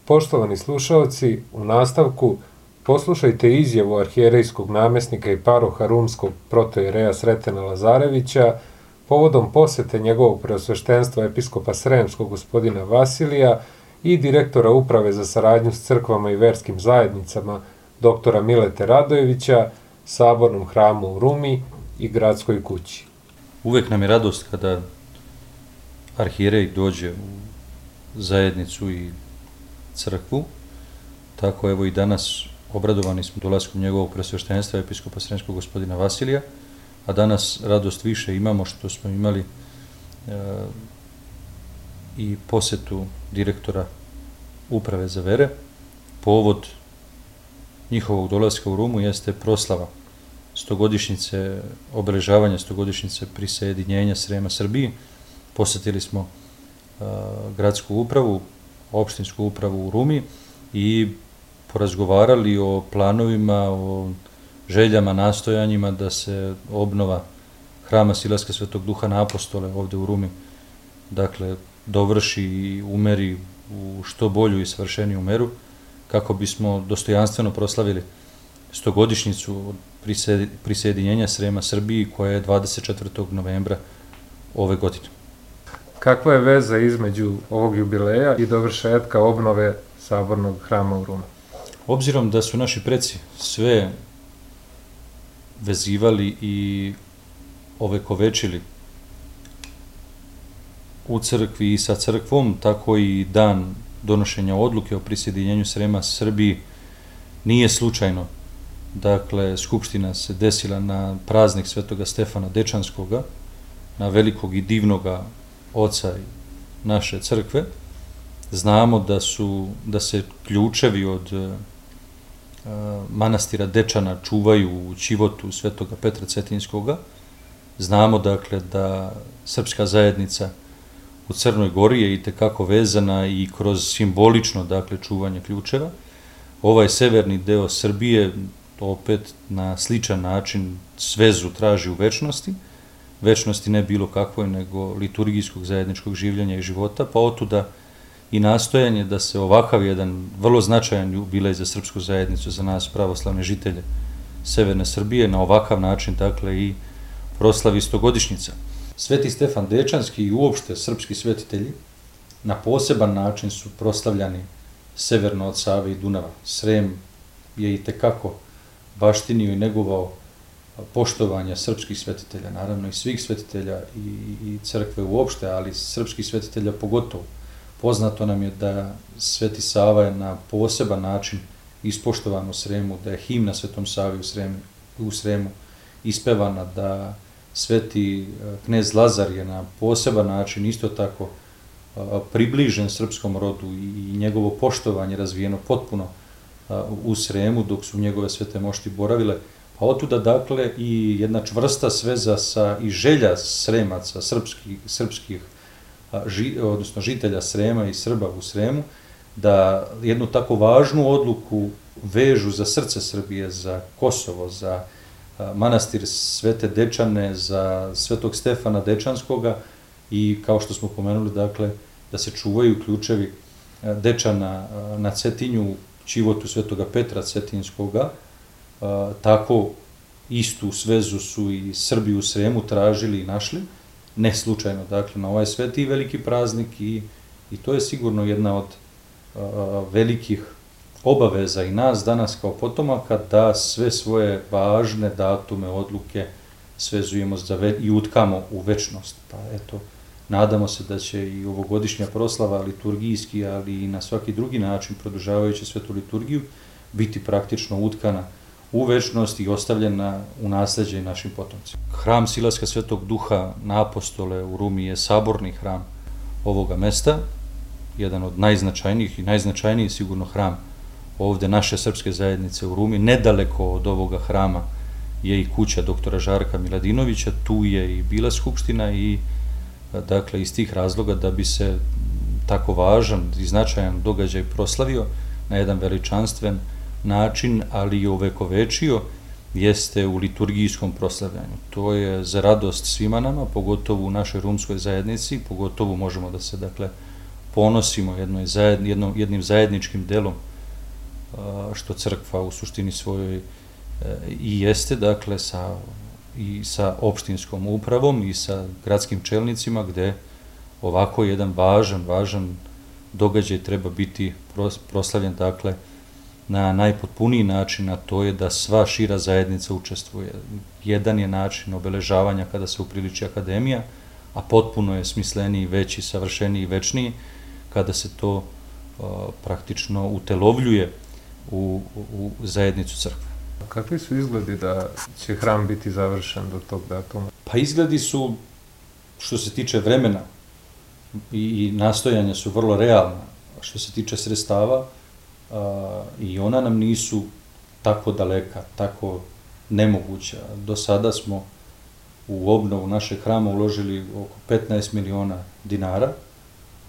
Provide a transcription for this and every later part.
Poštovani slušalci, u nastavku poslušajte izjavu arhijerejskog namjesnika i paroha rumskog protoijereja Sretena Lazarevića povodom posete njegovog preosveštenstva episkopa Sremskog gospodina Vasilija i direktora Uprave za saradnju s crkvama i verskim zajednicama doktora Milete Radojevića, Sabornom hramu u Rumi i Gradskoj kući. Uvek nam je radost kada arhijerej dođe u zajednicu i crkvu, tako evo i danas obradovani smo dolaskom njegovog preosveštenstva episkopa Sremskog gospodina Vasilija, a danas radost više imamo što smo imali i posetu direktora Uprave za vere. Povod njihovog dolaska u Rumu jeste proslava obeležavanja 100-godišnjice prisajedinjenja Srema Srbiji. Posetili smo gradsku upravu, opštinsku upravu u Rumi i porazgovarali o planovima, o željama, nastojanjima da se obnova hrama Silaska Svetog Duha na Apostole ovde u Rumi, dakle, dovrši i umeri u što bolju i savršeniju meru, kako bismo dostojanstveno proslavili 100-godišnjicu prisajedinjenja Srema Srbiji, koja je 24. novembra ove godine. Kakva je veza između ovog jubileja i dovršetka obnove Sabornog hrama u Rumi? Obzirom da su naši preci sve vezivali i ovekovečili u crkvi i sa crkvom, tako i dan donošenja odluke o prisajedinjenju Srema Srbiji nije slučajno. Dakle, skupština se desila na praznik Svetoga Stefana Dečanskoga, na velikog i divnoga oca naše crkve. Znamo da se ključevi od manastira Dečana čuvaju u ćivotu Svetoga Petra Cetinjskoga. Znamo, dakle, da srpska zajednica u Crnoj Gori je itekako vezana i kroz simbolično, dakle, čuvanje ključeva. Ovaj severni deo Srbije opet na sličan način svezu traži u večnosti. Večnosti ne bilo kakvoj, nego liturgijskog zajedničkog življenja i života, pa otuda i nastojanje da se ovakav jedan vrlo značajan jubilej za srpsku zajednicu, za nas pravoslavne žitelje severne Srbije, na ovakav način, dakle, i proslavi 100-godišnjica. Sveti Stefan Dečanski i uopšte srpski svetitelji na poseban način su proslavljani severno od Save i Dunava. Srem je itekako baštinio i negovao poštovanja srpskih svetitelja, naravno i svih svetitelja i crkve uopšte, ali srpskih svetitelja pogotovo. Poznato nam je da Sveti Sava je na poseban način ispoštovan u Sremu, da je himna Svetom Savi u Sremu ispevana, da Sveti knez Lazar je na poseban način isto tako približen srpskom rodu i njegovo poštovanje razvijeno potpuno u Sremu, dok su njegove svete mošti boravile. Pa otuda, dakle, i jedna čvrsta sveza i želja Sremaca, srpskih, odnosno žitelja Srema i Srba u Sremu, da jednu tako važnu odluku vežu za srce Srbije, za Kosovo, za manastir Svete Dečane, za Svetog Stefana Dečanskoga i, kao što smo pomenuli, dakle, da se čuvaju ključevi Dečana na Cetinju, ćivotu Svetoga Petra Cetinjskoga. Tako istu svezu su i Srbi u Sremu tražili i našli, ne slučajno, dakle, na ovaj sveti i veliki praznik i to je sigurno jedna od velikih obaveza i nas danas kao potomaka, da sve svoje važne datume, odluke svezujemo i utkamo u večnost. Pa eto, nadamo se da će i ovogodišnja proslava liturgijski, ali i na svaki drugi način, produžavajući svetu liturgiju, biti praktično utkana u večnost i ostavljena u nasleđe našim potomcima. Hram Silaska Svetog Duha na Apostole u Rumi je saborni hram ovoga mesta, jedan od najznačajnijih i najznačajniji sigurno hram ovde naše srpske zajednice u Rumi. Nedaleko od ovoga hrama je i kuća doktora Žarka Miladinovića, tu je i bila skupština i, dakle, iz tih razloga, da bi se tako važan i značajan događaj proslavio na jedan veličanstven način, ali i ovekovečio, jeste u liturgijskom proslavljanju. To je za radost svima nama, pogotovo u našoj rumskoj zajednici, pogotovo možemo da se, dakle, ponosimo jednim zajedničkim delom što crkva u suštini svojoj i jeste, dakle, i sa opštinskom upravom i sa gradskim čelnicima, gde ovako jedan važan događaj treba biti proslavljen, dakle, na najpotpuniji način, a to je da sva šira zajednica učestvuje. Jedan je način obeležavanja kada se upriliči akademija, a potpuno je smisleniji, veći, savršeniji, večniji, kada se to praktično utelovljuje u zajednicu crkve. Kakvi su izgledi da će hram biti završen do tog datuma? Pa izgledi su, što se tiče vremena i nastojanja, su vrlo realna. Što se tiče sredstava, i ona nam nisu tako daleka, tako nemoguća. Do sada smo u obnovu našeg hrama uložili oko 15 miliona dinara.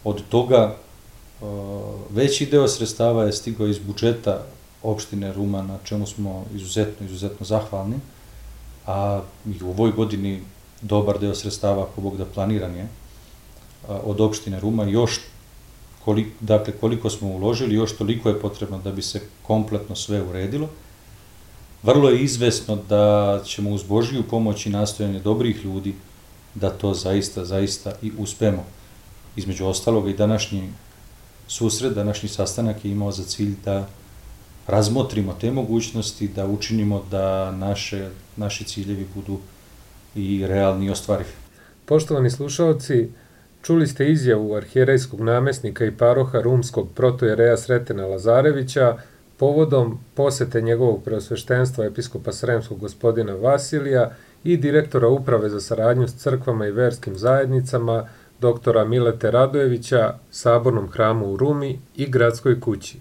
Od toga veći deo sredstava je stigao iz budžeta opštine Ruma, na čemu smo izuzetno zahvalni, a i u ovoj godini dobar deo sredstava, ako Bog da, planiran je od opštine Ruma. Još koliko smo uložili, još toliko je potrebno da bi se kompletno sve uredilo. Vrlo je izvesno da ćemo uz Božiju pomoć i nastojanje dobrih ljudi da to zaista i uspemo. Između ostaloga i današnji susret, današnji sastanak je imao za cilj da razmotrimo te mogućnosti, da učinimo da naši ciljevi budu i realni i ostvarivi. Poštovani slušalci, čuli ste izjavu arhijerejskog namesnika i paroha rumskog protojereja Sretena Lazarevića povodom posete njegovog preosveštenstva episkopa Sremskog gospodina Vasilija i direktora Uprave za saradnju s crkvama i verskim zajednicama, doktora Milete Radojevića, Sabornom hramu u Rumi i Gradskoj kući.